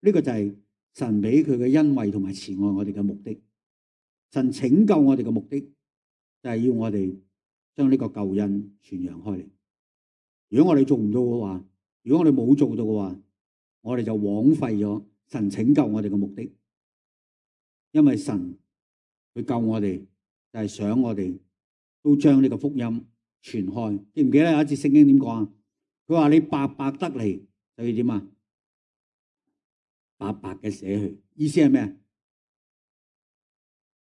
呢個就係神俾佢嘅恩惠同埋慈愛我哋嘅目的。神拯救我哋嘅目的就係要我哋將呢個救恩傳揚開嚟。如果我哋做唔到嘅話，如果我哋冇做到嘅話，我哋就枉費咗神拯救我哋嘅目的。因為神佢救我哋就係想我哋都將呢個福音傳開。記唔記得有一節聖經點講啊？佢話你白白得嚟就要點啊？白白嘅捨去，意思係咩？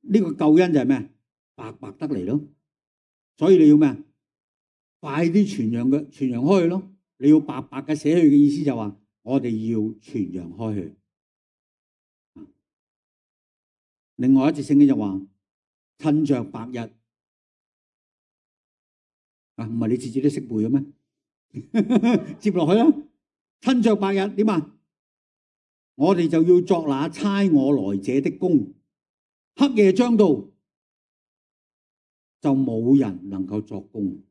呢個救恩就係咩？白白得嚟咯。所以你要咩？快啲傳揚開去咯。你要白白嘅捨去嘅意思就話我哋要傳揚開去。另外一節聖經就話趁着白日唔係你自己都識背嘅咩？接落去啦，趁着白日點啊？我哋就要作那差我來者的工，黑夜將到，就冇人能夠作工。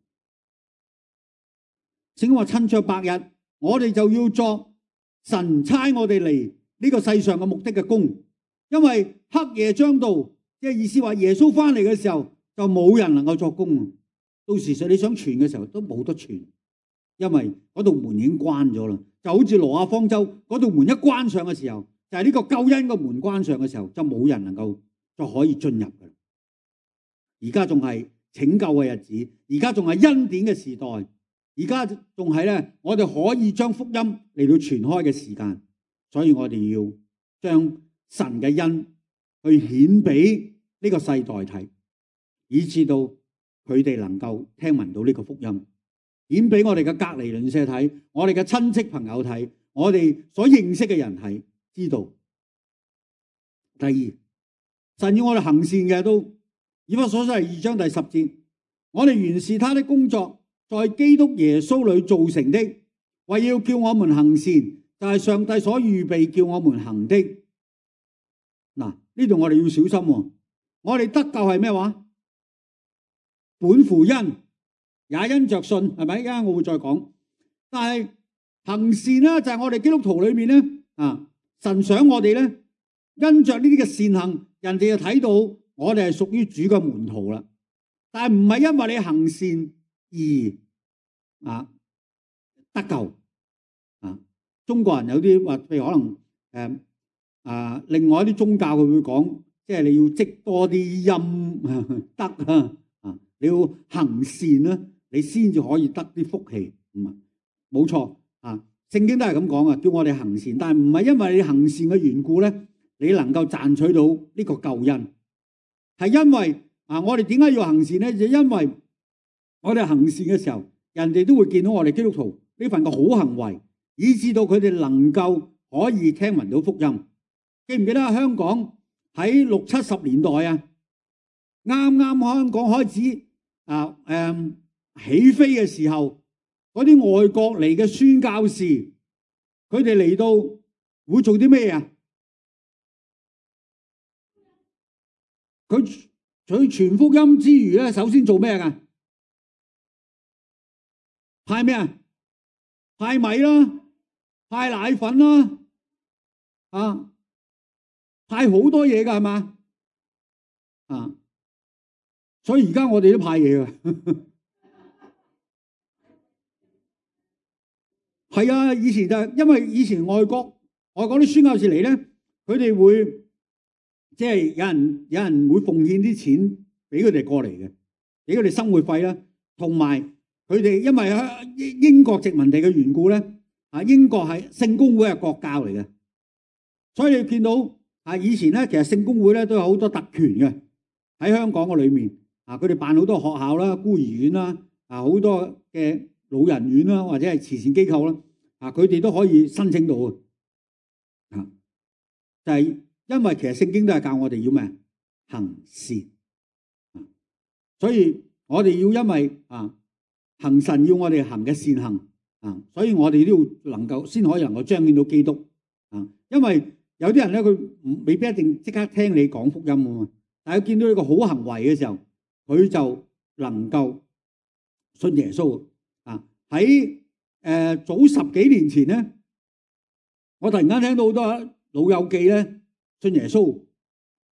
聖經話趁着白日，我哋就要作神差我哋嚟呢個世上嘅目的嘅工，因為黑夜將到，即係意思話耶穌翻嚟嘅時候就冇人能夠作工。到時你想傳嘅時候都冇得傳，因為嗰道門已經關咗啦。就好似挪亞方舟嗰道門一關上嘅時候，就係呢個救恩嘅門關上嘅時候，就冇人能夠就可以進入嘅。而家仲係拯救嘅日子，而家仲係恩典嘅時代，而家仲係咧我哋可以將福音嚟到傳開嘅時間，所以我哋要將神嘅恩去顯俾呢個世代睇，以至到佢哋能夠聽聞到呢個福音，顯俾我哋嘅隔離鄰舍睇，我哋嘅親戚朋友睇，我哋所認識嘅人睇，知道第二，神要我哋行善嘅，都以弗所書2章第10節，我哋原是他的工作，在基督耶穌裏造成的，為要叫我們行善，就係上帝所預備叫我們行的。嗱，呢度我哋要小心喎。我哋得救係咩話？本乎恩，也因着信，係咪？而家我會再講。但係行善咧，就係我哋基督徒裏面咧，神想我哋咧，因着呢啲嘅善行，人哋就睇到我哋係屬於主嘅門徒啦。但係唔係因為你行善而得救。中國人有啲話，譬如可能另外一啲宗教佢會講，即係你要積多啲陰德啊，你要行善啦，你先至可以得啲福氣。冇錯啊，聖經都係咁講啊，叫我哋行善，但係唔係因為你行善嘅緣故咧，你能夠賺取到呢個救恩，係因為我哋點解要行善咧？就因為我哋行善嘅時候，人哋都會見到我哋基督徒呢份嘅好行為，以致到佢哋能夠可以聽聞到福音。記唔記得香港喺60、70年代啊，啱啱香港開始起飛嘅時候，嗰啲外國嚟嘅宣教士，佢哋嚟到會做啲咩啊？佢傳福音之餘咧，首先做咩噶？派咩啊？派米啦，派奶粉啦，派好多嘢噶係嘛？所以而家我哋都派嘢噶。係啊，以前就因為以前外國啲宣教士嚟咧，佢哋會即係有人會奉獻啲錢俾佢哋過嚟嘅，俾佢哋生活費啦，同埋佢哋因為英國殖民地嘅緣故咧，英國係聖公會係國教嚟嘅，所以你見到以前咧，其實聖公會咧都有好多特權嘅喺香港嘅裏面，佢哋辦好多學校啦、孤兒院啦，好多嘅老人院啦，或者係慈善機構啦，佢哋都可以申請到嘅，就係因為其實聖經都係教我哋要咩？行善，所以我哋要因為行神要我哋行嘅善行，所以我哋都要能夠先可以能夠彰顯到基督，因為有啲人咧佢未必一定即刻聽你講福音啊嘛，但係見到呢個好行為嘅時候，佢就能夠信耶穌。喺早10幾年前咧，我突然間聽到好多老友記咧信耶穌。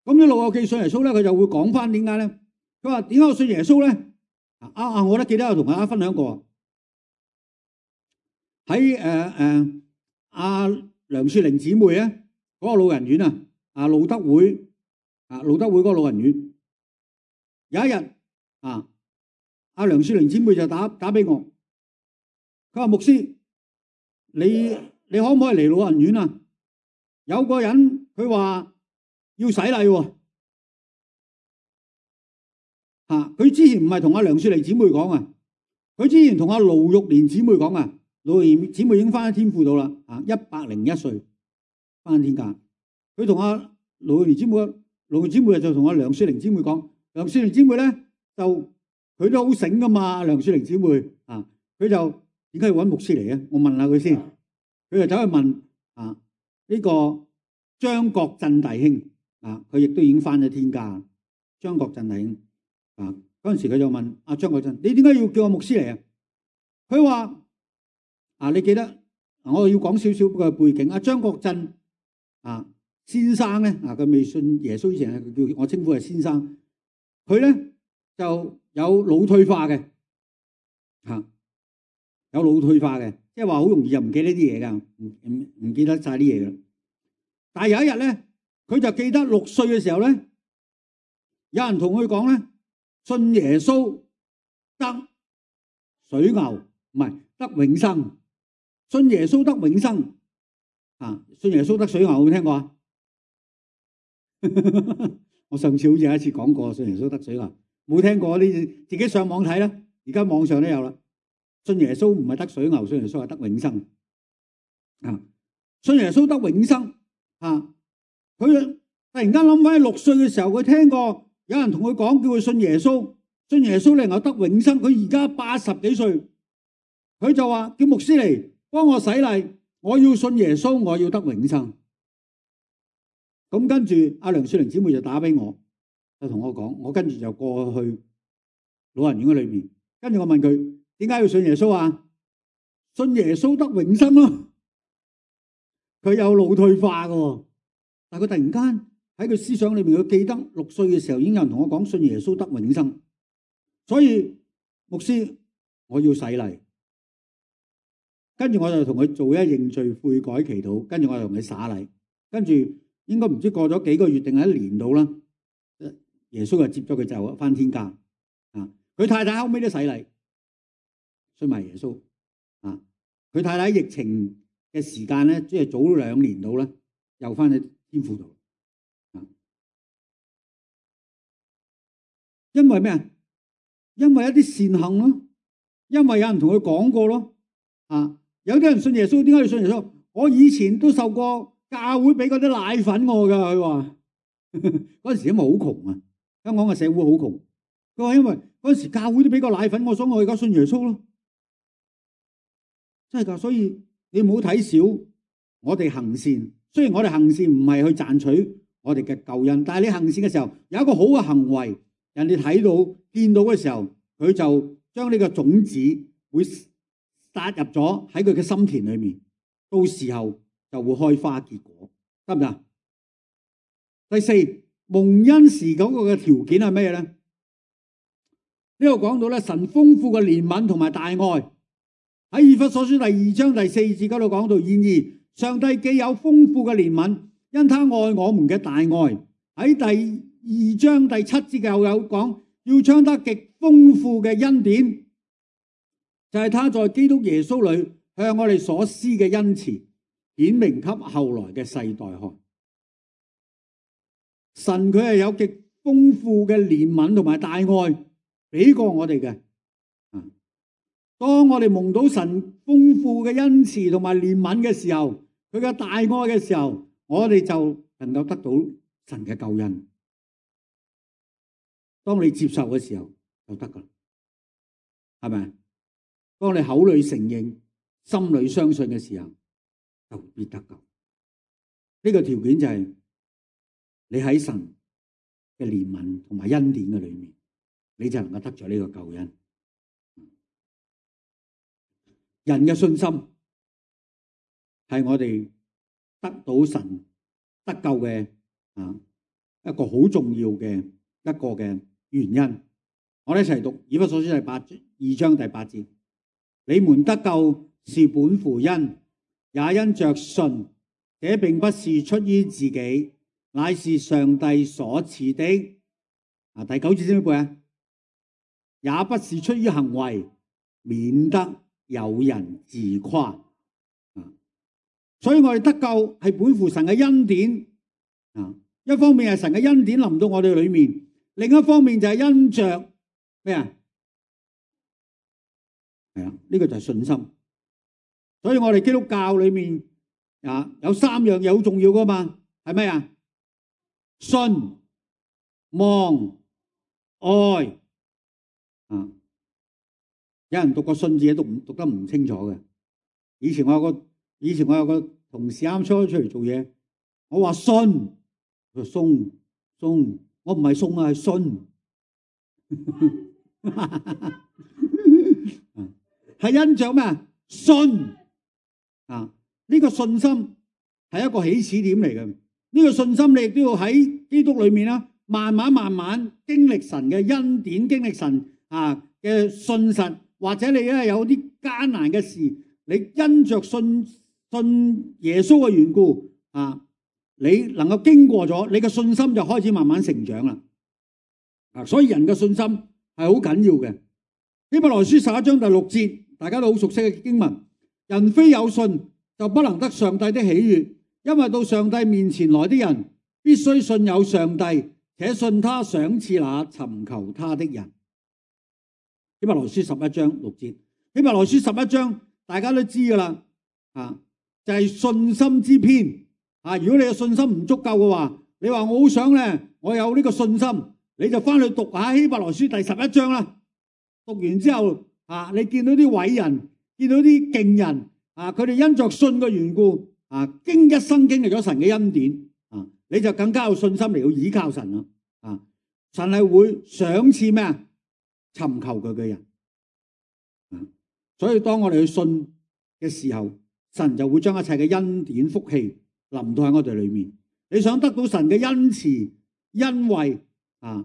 咁啲老友記信耶穌咧，佢就會講翻點解咧？佢話點解我信耶穌咧？我都記得有同大家分享過。喺梁雪玲姊妹咧嗰個老人院路德會嗰個老人院，有一日梁雪玲姊妹就打俾我。佢話牧師，你可唔可以嚟老人院啊？有個人佢話要洗禮喎。佢之前唔係同阿梁雪玲姊妹講啊，佢之前同阿盧玉蓮姊妹講啊。盧玉蓮姊妹已經翻喺天父度啦，101歲翻天家。佢同阿盧玉蓮姊妹，盧姊妹就同阿梁雪玲姊妹講，梁雪玲姊妹咧就佢都好醒噶嘛。梁雪玲姊妹佢就點解要揾牧師嚟嘅？我問下佢先。佢就走去問呢個張國振弟兄佢亦都已經翻咗天家。張國振弟兄嗰陣時佢就問阿張國振：你點解要叫我牧師嚟啊？佢話你記得我要講少少嘅背景。阿張國振先生咧佢未信耶穌以前佢叫我稱呼係先生。佢咧就有腦退化嘅有腦退化嘅，即係話好容易就唔記得啲嘢㗎，唔記得晒啲嘢㗎。但係有一日咧，佢就記得6歲嘅時候咧，有人同佢講咧，信耶穌得水牛，唔係得永生。信耶穌得永生信耶穌得水牛，有冇聽過啊？我上次好似有一次講過，信耶穌得水牛，冇聽過你自己上網睇啦。而家網上都有啦。信耶穌唔係得水牛，信耶穌係得永生信耶穌得永生佢突然間諗翻6歲嘅時候，佢聽過有人同佢講，叫佢信耶穌，信耶穌你能夠得永生。佢而家80幾歲，佢就話叫牧師嚟幫我洗禮，我要信耶穌，我要得永生。咁跟住阿梁雪玲姊妹就打俾我，就同我講，我跟住就過去老人院嘅裏面，跟住我問佢點解要信耶穌啊？信耶穌得永生咯。佢有腦退化嘅，但係佢突然間喺佢思想裏面，佢記得6歲嘅時候已經有人同我講信耶穌得永生，所以牧師我要洗禮。跟住我就同佢做一認罪悔改祈禱，跟住我就同佢灑禮，跟住應該唔知過咗幾個月定係1年到啦，耶穌就接咗佢就返天家。佢太太後尾都洗禮，信埋耶穌。佢太太疫情嘅時間咧，即係早2年到啦，又返去天父度。因為咩啊？因為一啲善行咯，因為有人同佢講過咯。有啲人信耶穌，點解要信耶穌？我以前都受過教會俾嗰啲奶粉我噶，佢話嗰陣時因為好窮啊，香港嘅社會好窮。佢話因為嗰陣時教會都俾個奶粉我，所以我而家信耶穌咯。真係噶，所以你唔好睇小我哋行善。雖然我哋行善唔係去賺取我哋嘅救恩，但係你行善嘅時候有一個好嘅行為，人哋睇到見到嘅時候，佢就將呢個種子會撒入咗喺佢嘅心田裏面，到時候就會開花結果，得唔得？第4，蒙恩時嗰個嘅條件係咩咧？呢度講到咧，神豐富嘅憐憫同埋大愛，喺以弗所書第2章第4節嗰度講到，然而上帝既有豐富嘅憐憫，因他愛我們嘅大愛，喺第2章第7節又有講，要將他極豐富嘅恩典，就係他在基督耶穌裏向我哋所施嘅恩慈，顯明給後來嘅世代看。神佢係有極豐富嘅憐憫同埋大愛俾過我哋嘅。當我哋蒙到神豐富嘅恩慈同埋憐憫嘅時候，佢嘅大愛嘅時候，我哋就能夠得到神嘅救恩。當你接受嘅時候就得噶，係咪？當你口裏承認、心裏相信嘅時候，就必得救。呢個條件就係你喺神嘅憐憫同埋恩典嘅裏面，你就能夠得咗呢個救恩。人嘅信心係我哋得到神得救嘅一個好重要嘅一個嘅原因。我哋一齊讀以弗所書2章第8節。你們得救是本乎恩，也因着信。這並不是出於自己，乃是上帝所賜的。第9節先背啊，也不是出於行為，免得有人自誇。所以我哋得救係本乎神嘅恩典。一方面係神嘅恩典臨到我哋裏面，另一方面就係因着咩啊？係啊，呢個就係信心。所以我哋基督教裏面有3樣嘢好重要噶嘛，係咩啊？信、望、愛。有人讀個信字讀得唔清楚嘅。以前我有個同事啱出嚟做嘢，我話信，佢話鬆，我唔係送啊，係信。係因着咩？信。呢個信心係一個起始點嚟嘅。呢個信心你亦都要喺基督裏面啦，慢慢經歷神嘅恩典，經歷神嘅信實。或者你咧有啲艱難嘅事，你因着信耶穌嘅緣故你能夠經過咗，你嘅信心就開始慢慢成長啦。所以人嘅信心係好緊要嘅。希伯來書11章第6節，大家都好熟悉嘅經文。人非有信就不能得上帝的喜悅，因為到上帝面前來的人必須信有上帝，且信他賞賜那尋求他的人。希伯來書11章6節，希伯來書11章大家都知噶啦，就係信心之篇。如果你嘅信心唔足夠嘅話，你話我好想咧，我有呢個信心，你就翻去讀下希伯來書第11章啦。讀完之後啊，你見到啲偉人，見到啲勁人啊，佢哋因着信嘅緣故啊，一生經歷咗神嘅恩典啊，你就更加有信心嚟到倚靠神啦啊！神係會賞賜咩啊？尋求佢嘅人啊！所以當我哋去信嘅時候，神就會將一切嘅恩典福氣臨到喺我哋裏面。你想得到神嘅恩慈、恩惠啊、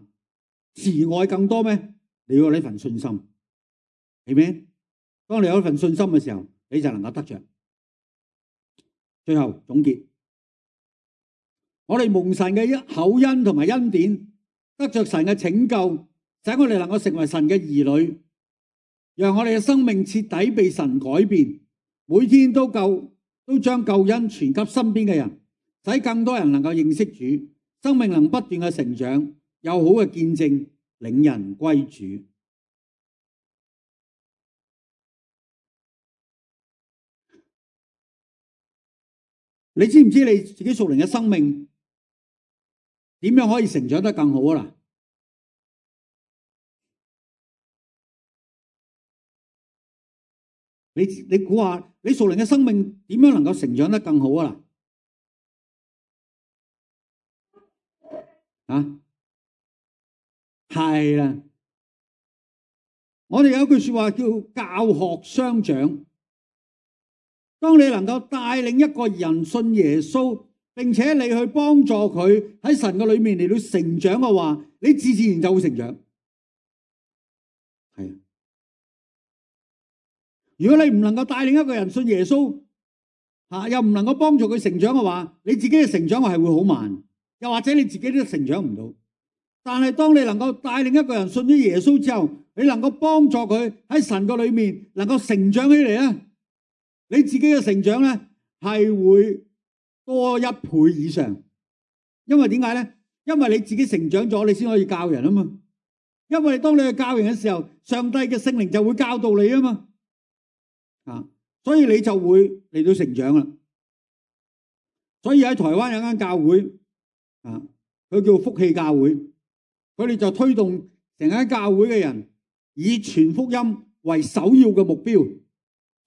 慈愛更多咩？你要有呢份信心，係咪？當你有一份信心嘅時候，你就能夠得着。最後總結，我哋蒙神嘅厚恩同埋恩典，得着神嘅拯救，使我哋能夠成為神嘅兒女，讓我哋嘅生命徹底被神改變，每天都將救恩傳給身邊嘅人，使更多人能夠認識主，生命能不斷嘅成長，有好嘅見證，領人歸主。你知唔知你自己屬靈嘅生命點樣可以成長得更好啊？你估下，你屬靈嘅生命點樣能夠成長得更好啊？啊，係啦，我哋有一句說話叫教學相長。當你能夠帶領一個人信耶穌，並且你去幫助佢喺神嘅裏面嚟到成長嘅話，你自然就會成長。係，如果你唔能夠帶領一個人信耶穌，又唔能夠幫助佢成長嘅話，你自己嘅成長係會好慢，又或者你自己都成長唔到。但係當你能夠帶領一個人信咗耶穌之後，你能夠幫助佢喺神嘅裏面能夠成長起嚟咧，你自己嘅成長咧係會多1倍以上。因為點解咧？因為你自己成長咗，你先可以教人啊嘛。因為當你去教人嘅時候，上帝嘅聖靈就會教導你啊嘛。所以你就會嚟到成長啦。所以喺台灣有間教會佢叫福氣教會，佢哋就推動成間教會嘅人以傳福音為首要嘅目標。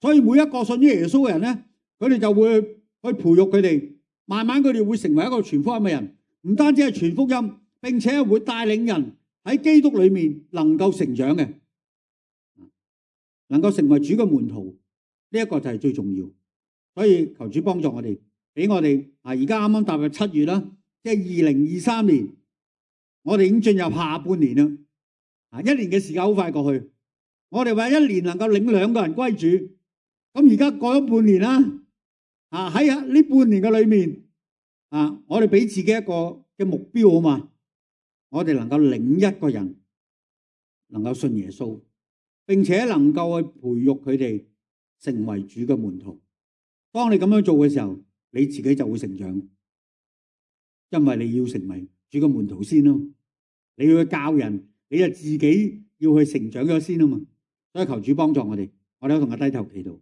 所以每一個信於耶穌嘅人咧，佢哋就會去培育佢哋，慢慢佢哋會成為一個傳福音嘅人。唔單止係傳福音，並且會帶領人喺基督裏面能夠成長嘅，能夠成為主嘅門徒，呢一個就係最重要。所以求主幫助我哋，俾我哋而家啱啱踏入7月啦，即係2023年，我哋已經進入下半年啦。1年嘅時間好快過去，我哋話1年能夠領2個人歸主。咁而家過咗半年啦，喺呢半年嘅裏面，我哋俾自己一個嘅目標好嘛？我哋能夠領1個人，能夠信耶穌，並且能夠去培育佢哋成為主嘅門徒。當你咁樣做嘅時候，你自己就會成長，因為你要成為主嘅門徒先咯。你要去教人，你就自己要去成長咗先啊嘛。所以求主幫助我哋，我哋都同佢低頭祈禱。